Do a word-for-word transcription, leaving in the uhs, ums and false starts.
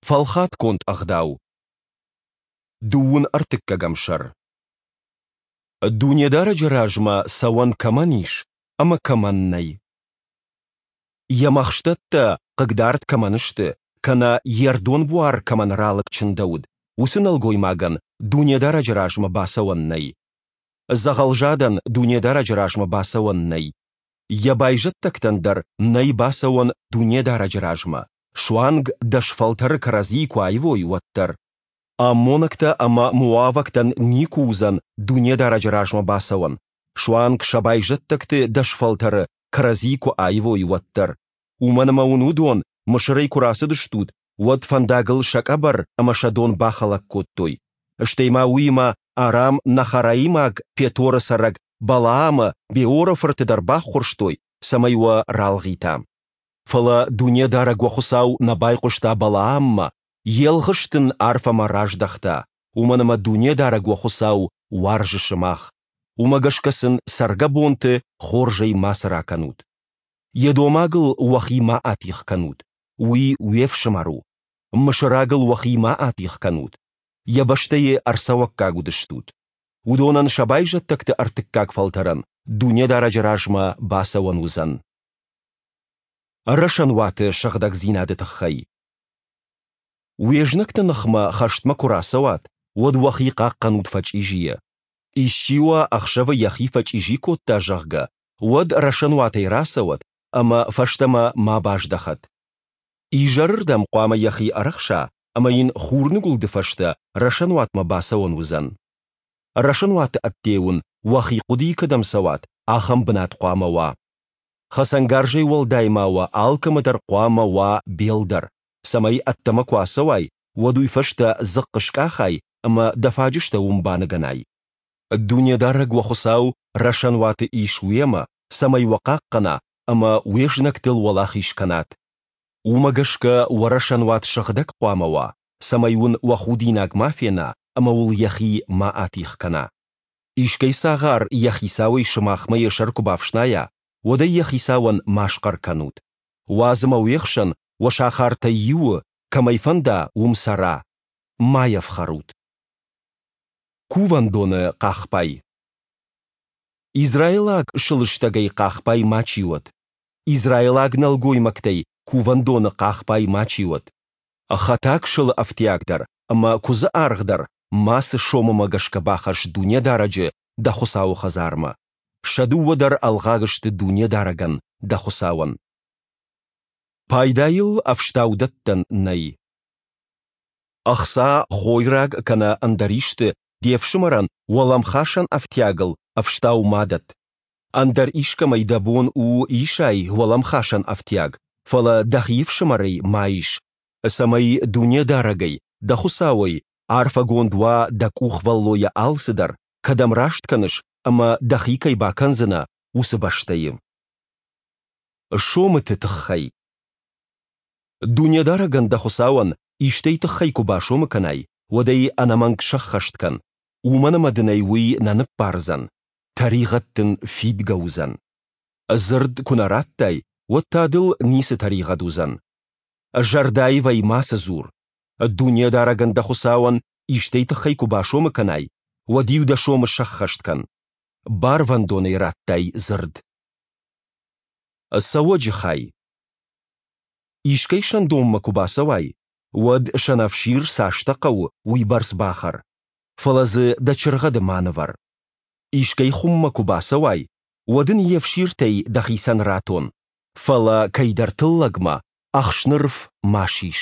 Фӕлхатгонд ӕгъдау. Дыууын ӕртыккӕгӕм сӕр. Дунедарӕджы размӕ цӕуӕн кӕмӕн ис ӕмӕ кӕмӕн нӕй. Йӕ мӕхстӕттӕ хъыгдард кӕмӕн сты, кӕнӕ йе рдон буар кӕмӕн ралыг чындӕуыд, уыцы нӕлгоймагӕн Дунедарӕджы размӕ бацӕуӕн нӕй. Дзӕгъӕлзадӕн Дунедарӕджы размӕ бацӕуӕн нӕй. Йӕ байзӕддӕгтӕн дӕр нӕй бацӕуӕн Дунедарӕджы размӕ, суанг дӕс фӕлтӕры кӕрӕдзийы куы аивой, уӕддӕр. Аммонӕгтӕ ӕмӕ моавӕгтӕн никуы уыдзӕн Дунедарӕджы размӕ бацӕуӕн, суанг сӕ байзӕддӕгты дӕс фӕлтӕры кӕрӕдзийы куы аивой, уӕддӕр. Уымӕн ӕмӕ уын уыдон, Мысырӕй куы рацыдыстут, уӕд фӕндагыл сӕ къӕбӕр ӕмӕ сӕ дон бахӕлӕг кодтой. Стӕй ма уыимӕ Арам-Нахараимаг Петоры цӕрӕг Балаамы, Беоры фырты дӕр баххуырстой, цӕмӕй уӕ ралгъита. Фӕлӕ Дунедарӕг уӕ Хуыцау нӕ байхъуыста Балааммӕ, йе лгъыст ын арфӕмӕ раздӕхта, уымӕн ӕмӕ Дунедарӕг уӕ Хуыцау уарзы сымах. Уымӕ гӕсгӕ сын цӕргӕбонты хорзӕй мацы ракӕнут. Едомагыл уӕхи ма атигъ кӕнут, уый уе фсымӕр у. Мысырагыл уӕхи ма атигъ кӕнут, йӕ бӕстӕйы ӕрцӕуӕггаг уыдыстут. Уыдонӕн сӕ байзӕддӕгты ӕртыккаг фӕлтӕрӕн Дунедарӕджы размӕ бацӕуӕн уыдзӕн. Рӕсӕнуаты сыгъдӕгдзинады тыххӕй. Уе знӕгты ныхмӕ хӕстмӕ куы рацӕуат, уӕд уӕхи хъахъхъӕнут фӕчъизийӕ. Исчи уӕ ӕхсӕвы йӕхи фӕчъизи кодта, зӕгъгӕ, уӕд рӕсӕнуатӕй рацӕуӕд ӕмӕ фӕстӕмӕ ма баздӕхӕд. Изӕрырдӕм хъуамӕ йӕхи ӕрӕхса ӕмӕ йын хурныгуылды фӕстӕ рӕсӕнуатмӕ бацӕуӕн уыдзӕн. Рӕсӕнуаты ӕдде уын, уӕхи хъуыдыйы кӕдӕм цӕуат, ахӕм бынат хъуамӕ уа. Хӕцӕнгарзӕй уӕлдай ма уӕ алкӕмӕ дӕр хъуамӕ уа бел дӕр, цӕмӕй ӕддӕмӕ куы ацӕуай, уӕд уый фӕстӕ дзыхъхъ скъахай ӕмӕ дӕ фаджыстӕ уым баныгӕнай. Дунедарӕг уӕ Хуыцау рӕсӕнуаты ис уемӕ, цӕмӕй уӕ хъахъхъӕна ӕмӕ уе знӕгтыл уӕлахиз кӕнат. Уымӕ гӕсгӕ уӕ рӕсӕнуат сыгъдӕг хъуамӕ уа, цӕмӕй уын уӕ худинаг ма фена ӕмӕ уыл йӕхи ма атигъ кӕна. Искӕй цагъар йӕ хицауӕй сымахмӕ йӕ сӕр куы бафснайа, уӕд ӕй йӕ хицауӕн ма схъӕр кӕнут. Уадз ӕмӕ уе хсӕн, уӕ сахартӕй иуы, кӕм ӕй фӕнда, уым цӕра. Ма йӕ фхӕрут. Кувӕндоны хъахбай. Израилаг сылыстӕгӕй хъахбай мачи уӕд. Израилаг нӕлгоймӕгтӕй кувӕндоны хъахбай мачи уӕд. Хӕтаг сылы ӕфтиаг дӕр ӕмӕ куыдзы аргъ дӕр мацы сомымӕ гӕсгӕ бахӕсс Дунедарӕджы, дӕ Хуыцауы хӕдзармӕ. Сӕ дыууӕ дӕр ӕлгъаг сты Дунедарӕгӕн, дӕ Хуыцауӕн. Пайдайыл ӕфстау дӕттӕн нӕй. Ӕхца, хойраг кӕнӕ ӕндӕр исты де фсымӕрӕн уӕлӕмхасӕн ӕфтиагыл ӕфстау ма дӕтт. Ӕндӕр искӕмӕй дӕ бон у исай уӕлӕмхасӕн ӕфтиаг, фӕлӕ дӕхи ӕфсымӕрӕй ма ис, цӕмӕй Дунедарӕгӕй, дӕ Хуыцауӕй, арфӕгонд уа дӕ къухвӕллойӕ алцыдӕр, кӕдӕм раст кӕныс ӕмӕ дӕхи кӕй бакӕндзынӕ, уыцы бӕстӕйы. Сомыты тыххӕй. Дунедарӕгӕн дӕ Хуыцауӕн истӕй тыххӕй куы басомы кӕнай, уӕд ӕй ӕнӕмӕнг сӕххӕст кӕн, уымӕн ӕмӕ дын ӕй уый нӕ ныббардзӕн, тӕригъӕд дын фидгӕ уыдзӕн. Дзырд куы нӕ радтай, уӕд та дыл ницы тӕригъӕд уыдзӕн. Зӕрдӕаивӕй мацы дзур. Дунедарӕгӕн дӕ Хуыцауӕн истӕй тыххӕй куы басомы кӕнай, уӕд-иу дӕ сомы сӕххӕст кӕн. Барвӕндонӕй радтай дзырд. Цӕуӕджы хай. Искӕй сӕндонмӕ куы бацӕуай, уӕд сӕнӕфсир цастӕ хъӕуы, уыйбӕрц бахӕр, фӕлӕ дзы дӕ чыргъӕды ма нывӕр. Искӕй хуыммӕ куы бацӕуай, уӕд ын йе фсиртӕй дӕхицӕн ратон, фӕлӕ кӕйдӕр тыллӕгмӕ ӕхснырф ма сис.